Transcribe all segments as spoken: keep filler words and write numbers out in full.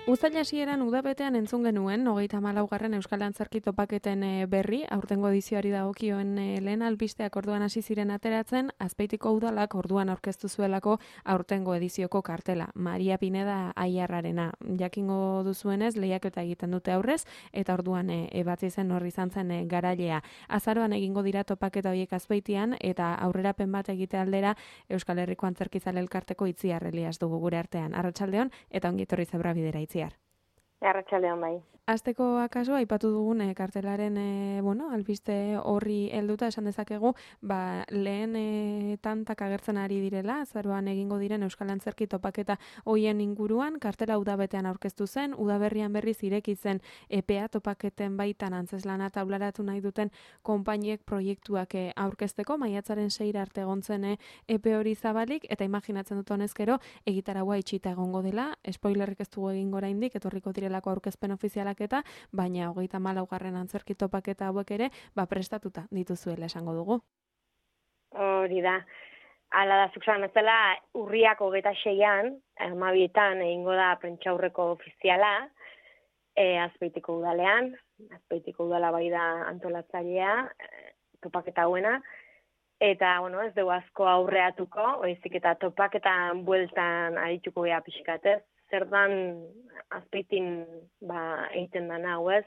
Uztaila hasieran udabetean entzun genuen, hogeita hamalaugarren Euskal Antzerki topaketen berri, aurtengo edizioari dagokioen lehen albisteak orduan hasi ziren ateratzen, Azpeitiko udalak orduan aurkeztu zuelako aurtengo edizioko kartela, Maria Pineda Aiarrarena. Jakingo duzuenez, lehiaketa egiten dute aurrez, eta orduan ebatzi zen horri izan zen garailea. Azaroan egingo dira topaketa horiek Azpeitian, eta aurrerapen bat egite aldera Euskal Herriko Antzerkizale Elkarteko Itziar Elias dugu gure artean. Arratsaldeon eta ongi etorri Zebra Bidera Itziar. Arratsaldeon bai. Azteko akaso, aipatu dugun e, kartelaren e, bueno, albiste horri helduta esan dezakegu, ba, lehen e, tantak agertzen ari direla, azaroan egingo diren Euskal Antzerki topaketa hoien inguruan, kartela udabetean aurkeztu zen, udaberrian berriz ireki zen epea topaketen baitan antzeslana taularatu nahi duten konpainiek proiektuak e, aurkezteko, maiatzaren seira arte egontzen e, epe hori zabalik, eta imaginatzen dut honezkero, egitaragoa itxita egongo dela, spoilerrik ez dugu egin oraindik, etorriko direlako aurkezpen ofizialak eta baina hogeita hamalaugarren antzerki topaketa hauek ere ba prestatuta dituzuela esango dugu. Hori da. Hala da, zuk zan bezala, urriak hogeita seian, hamabietan egingo da prentsaurreko ofiziala, e, Azpeitiko udalean, Azpeitiko udala bai da antolatzailea, e, topaketa hauena, eta, bueno, ez dugu asko aurreatuko, oizik eta topaketan bueltan arituko gea pixkatez, zer dan Azpeitin ba, egiten dana hau ez.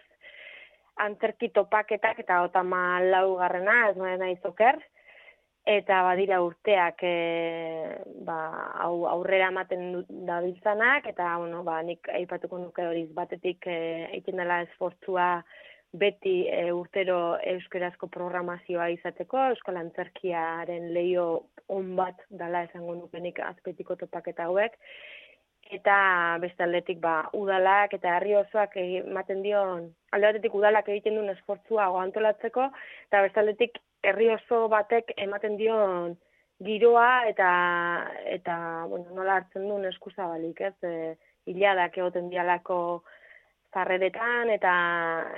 Antzerki topaketak eta otama laugarrena, ez noen nahi zoker, eta badira urteak e, ba, hau aurrera ematen dabiltzanak, eta bueno, ba, nik aipatuko nuke horiz batetik e, egiten dela esfortzua beti e, urtero euskerazko programazioa izateko, Euskal Antzerkiaren leio on bat dela esango nuke nik Azpeitiko topaketa hauek, eta beste aldetik ba, udalak eta herri osoak ematen dion, alde batetik udalak egiten duen esfortzua antolatzeko, eta beste aldetik herri oso batek ematen dion giroa eta eta bueno, nola hartzen duen eskuzabalik, ez? E, hiladak egoten dialako zarreretan eta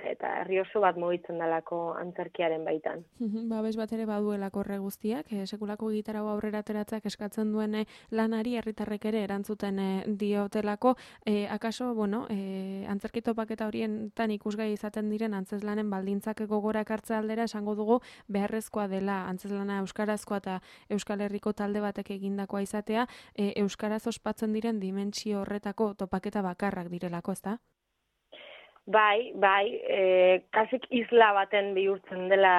eta herri oso bat mugitzen dalako antzerkiaren baitan. Babes bat ere baduelako horre guztiak, e, sekulako gitarra aurrera ateratzak eskatzen duen e, lanari herritarrek ere erantzuten e, diotelako, e, akaso, bueno, e, antzerki topaketa horietan ikusgai izaten diren antzeslanen baldintzak gogora ekartze aldera esango dugu beharrezkoa dela antzeslana euskarazkoa eta Euskal Herriko talde batek egindakoa izatea, e, euskaraz ospatzen diren dimentsio horretako topaketa bakarrak direlako, ezta? Bai, bai, e, kasik isla baten bihurtzen dela,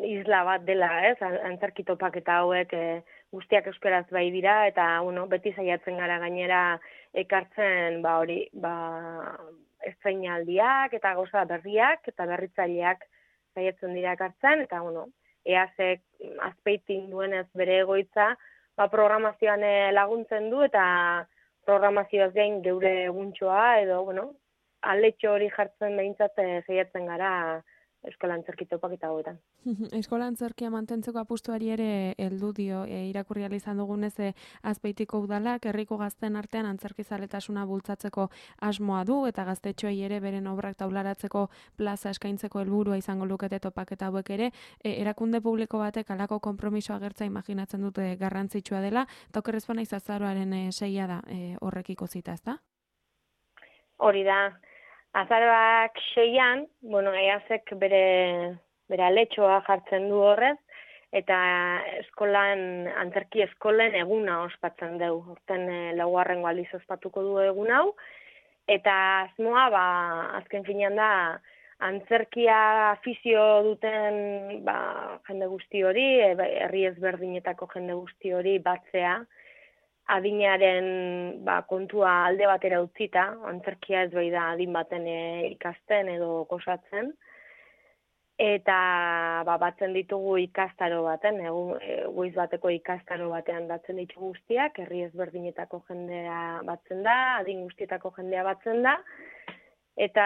isla bat dela, ez, antzerki topaketa hauek e, guztiak euskaraz bai dira, eta, bueno, beti saiatzen gara gainera ekartzen, ba, hori, ba, estreinaldiak eta gauza berriak eta berritzaileak saiatzen dira ekartzen, eta, bueno, eazek Azpeitin duenez bere egoitza, ba, programazioan laguntzen du, eta programazioaz gain geure eguntxoa, edo, bueno, aletxo hori jartzen behintzat saiatzen gara Euskal Antzerki topaketa hauetan. Eskola Antzerkia mantentzeko apustuari ere heldu dio, e, irakurri ahal izan dugunez e, Azpeitiko udalak herriko gazten artean antzerkizaletasuna bultzatzeko asmoa du eta gaztetxoei ere beren obrak taularatzeko plaza eskaintzeko helburua izango lukete topaketa hauek ere, e, erakunde publiko batek halako konpromiso agertza imaginatzen dute garrantzitsua dela, eta okerrez bana izazaroaren e, seia da e, horrekiko zita, ezta? Hori da. Azaroak seian, bueno, eazek bere, bere aletxoa jartzen du horrez, eta eskolan, antzerki eskolen eguna ospatzen dugu. Horten e, laugarrengo aldiz ospatuko du egun hau, eta asmoa, ba, azken finean da, antzerkia afizio duten ba, jende guzti hori, e, herri ezberdinetako jende guzti hori batzea, adinaren ba, kontua alde batera utzita, antzerkia ez bai da adin baten e, ikasten edo gozatzen, eta ba, batzen ditugu ikastaro baten, egu, e, goiz bateko ikastaro batean batzen ditugu guztiak, herri ezberdinetako jendea batzen da, adin guztietako jendea batzen da, eta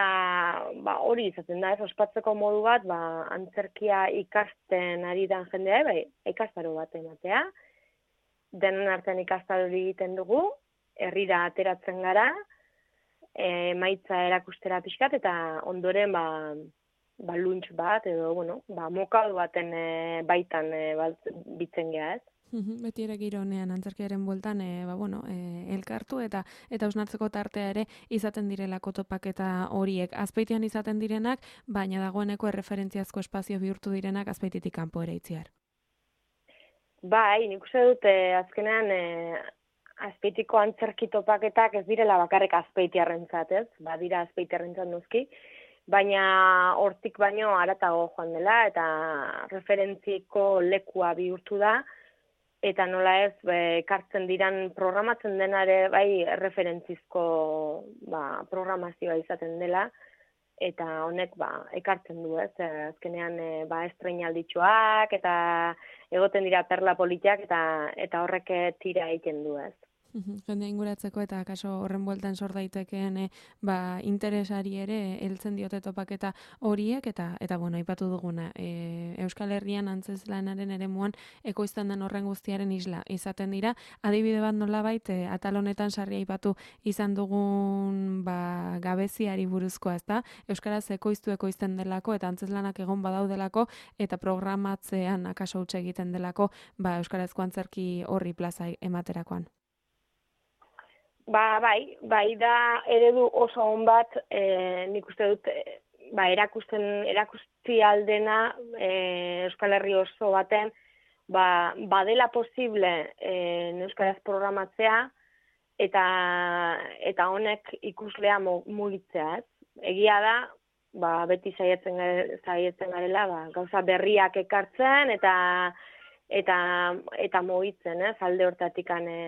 ba, hori izaten da, ez ospatzeko modu bat, ba, antzerkia ikasten ari dan jendea, bai, ikastaro bat ematea, denen artean ikastaro egiten dugu, herrira ateratzen gara, e, maitza erakustera pixkat, eta ondoren ba, ba lunch bat, edo, bueno, ba, mokal baten e, baitan e, bat, bitzen geha, ez? Beti ere giro honean antzerkiaren bueltan e, ba, bueno, e, elkartu eta eta hausnartzeko tartea ere izaten direlako topaketa horiek. Azpeitian izaten direnak, baina dagoeneko erreferentziazko espazio bihurtu direnak Azpeititik kanpo ere itziar. Bai, nik uste dut e, azkenean e, Azpeitiko antzerki topaketak ez direla bakarrik Azpeitiarrentzat, ez? Badira Azpeitiarrentzat noski, baina hortik baino haratago joan dela eta referentziko lekua bihurtu da. Eta nola ez, ekartzen diran programatzen denare bai referentzizko ba, programazioa izaten dela, eta honek ba, ekartzen du ez, azkenean e, ba, estreinalditxoak, eta egoten dira perla politiak, eta, eta horrek tira egiten du ez. Jendea inguratzeko eta kaso horren bueltan sor daitekeen e, ba, interesari ere heltzen diote topaketa horiek eta eta bueno, aipatu duguna. E, Euskal Herrian antzezlanaren eremuan ekoizten den horren guztiaren isla izaten dira. Adibide bat nolabait e, atal honetan sarri aipatu izan dugun ba, gabeziari buruzkoa, ezta? Euskaraz ekoiztu ekoizten delako eta antzezlanak egon badaudelako eta programatzean akaso huts egiten delako ba, euskarazko antzerki horri plaza ematerakoan. Ba, bai, bai da eredu oso on bat, e, nik uste dut, e, ba, erakusten, erakusti aldena e, Euskal Herri oso baten, ba, badela posible e, euskaraz programatzea, eta eta honek ikuslea mugitzea, ez? Egia da, ba, beti saiatzen saiatzen garela, ba, gauza berriak ekartzen, eta eta eta mugitzen, ez? Alde hortatikan e,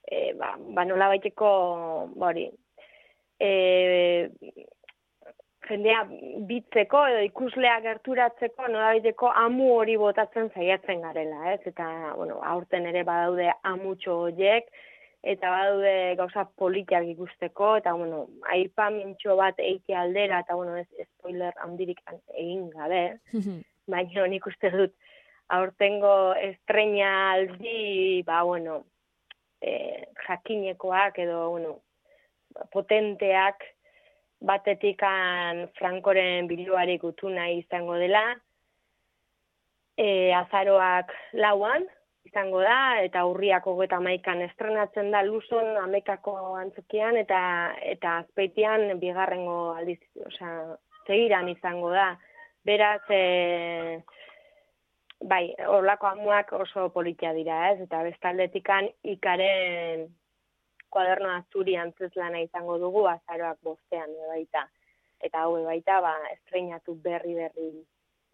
E, ba, ba nola baiteko, bori, e, jendea bitzeko edo ikuslea gerturatzeko nola baiteko amu hori botatzen saiatzen garela, ez? Eta, bueno, aurten ere badaude amutxo horiek, eta badaude gauza politiak ikusteko, eta, bueno, aipamintxo bat eike aldera, eta, bueno, ez spoiler handirik egin gabe, baina nik uste dut, aurtengo estreinaldi, ba, bueno, E, jakinekoak edo bueno, potenteak batetikan Frankoren biloari gutuna izango dela, e, azaroak lauan izango da, eta urriak hogeita hamaikan estrenatzen da Luzon Amekako antzokian, eta eta Azpeitian bigarrengo aldiz, osea, segiran izango da. Beraz, e, bai, horlako amuak oso politia dira, ez? Eta bestaldetikan ikaren kuaderno azuri antzeslana izango dugu, azaroak bostean baita. Eta hau baita, ba, estreinatu berri-berri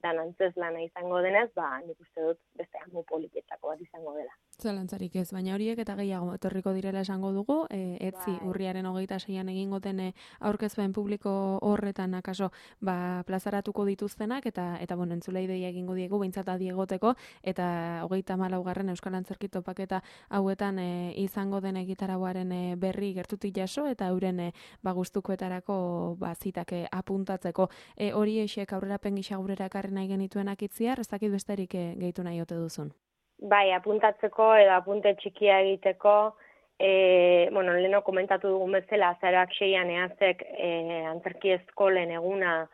dan antzeslana izango denez, ba, nik uste dut beste amu politietako bat izango dela. Zalantzarik ez, baina horiek eta gehiago etorriko direla esango dugu, e, etzi bai. Urriaren hogeita seian egingo den aurkezpen publiko horretan akaso ba, plazaratuko dituztenak, eta eta bueno, entzulei deia egingo diegu, behintzat adi egoteko, eta hogeita hamalaugarren Euskal Antzerki topaketa hauetan e, izango den egitarauaren e, berri gertutik jaso, eta euren e, ba, gustukoetarako ba, zitake apuntatzeko. E, hori esek aurrerapen gisa gurera ekarri nahi genituenak itziar, ez dakit besterik e, gehitu nahi ote duzun. Bai, apuntatzeko edo apunte txikia egiteko, e, bueno, leheno komentatu dugun bezala, azaroak seian eazek e, antzerki eskolen eguna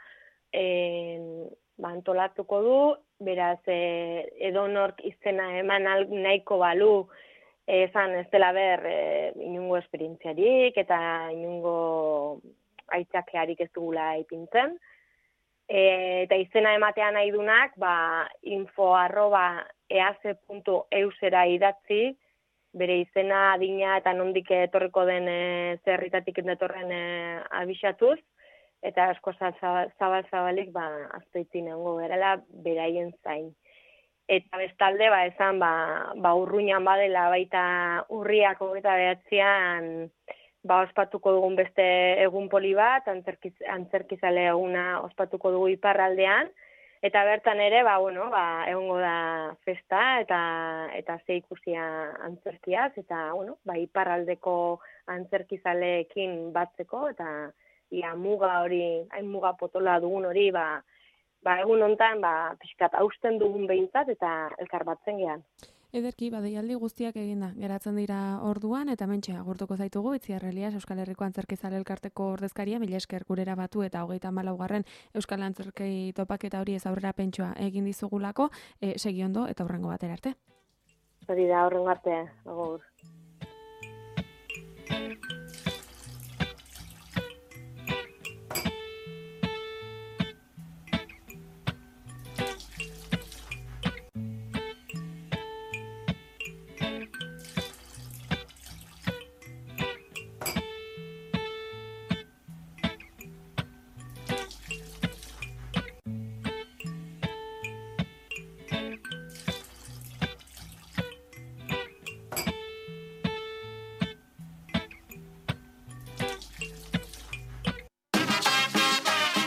e, ba, antolatuko du, beraz e, edonork izena eman nahiko balu, esan ez dela ber e, inungo esperientziarik eta inungo aitzakearik ez dugula ipintzen. E, eta izena ematea nahi dunak, ba, info arroba ease puntu eusera idatzi, bere izena, adina eta nondik etorriko den e, zerritatik endetorren e, abisatuz, eta asko zabal-zabalik ba, azpeitzin egongo gerela beraien zain. Eta bestalde, ba, esan, ba, ba urruinan badela baita urriak hogeita behatzean, ba, ospatuko dugun beste egun poli bat, antzerkiz, antzerkizale eguna ospatuko dugu iparraldean, eta bertan ere, ba, bueno, ba, egongo da festa eta eta ze ikusia antzerkiaz, eta, bueno, ba, iparraldeko antzerkizaleekin batzeko, eta ia muga hori, hain muga potola dugun hori, ba, ba egun hontan, ba, pixkat hausten dugun behintzat, eta elkar batzen gehan. Ederki, badeialdi guztiak eginda, geratzen dira orduan, eta mentxe agurtuko zaitugu, Itziar Elias Euskal Herriko Antzerkizale Elkarteko ordezkaria, mila esker gurera batu eta hogeita hamalaugarren Euskal Antzerkei topaketa hori ez aurrera pentsua egin dizugulako, e, segi ondo eta hurrengo batera arte. Hori da, hurrengo arte, agur.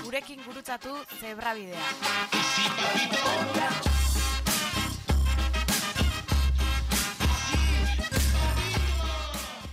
Gurekin gurutzatu Zebrabidea.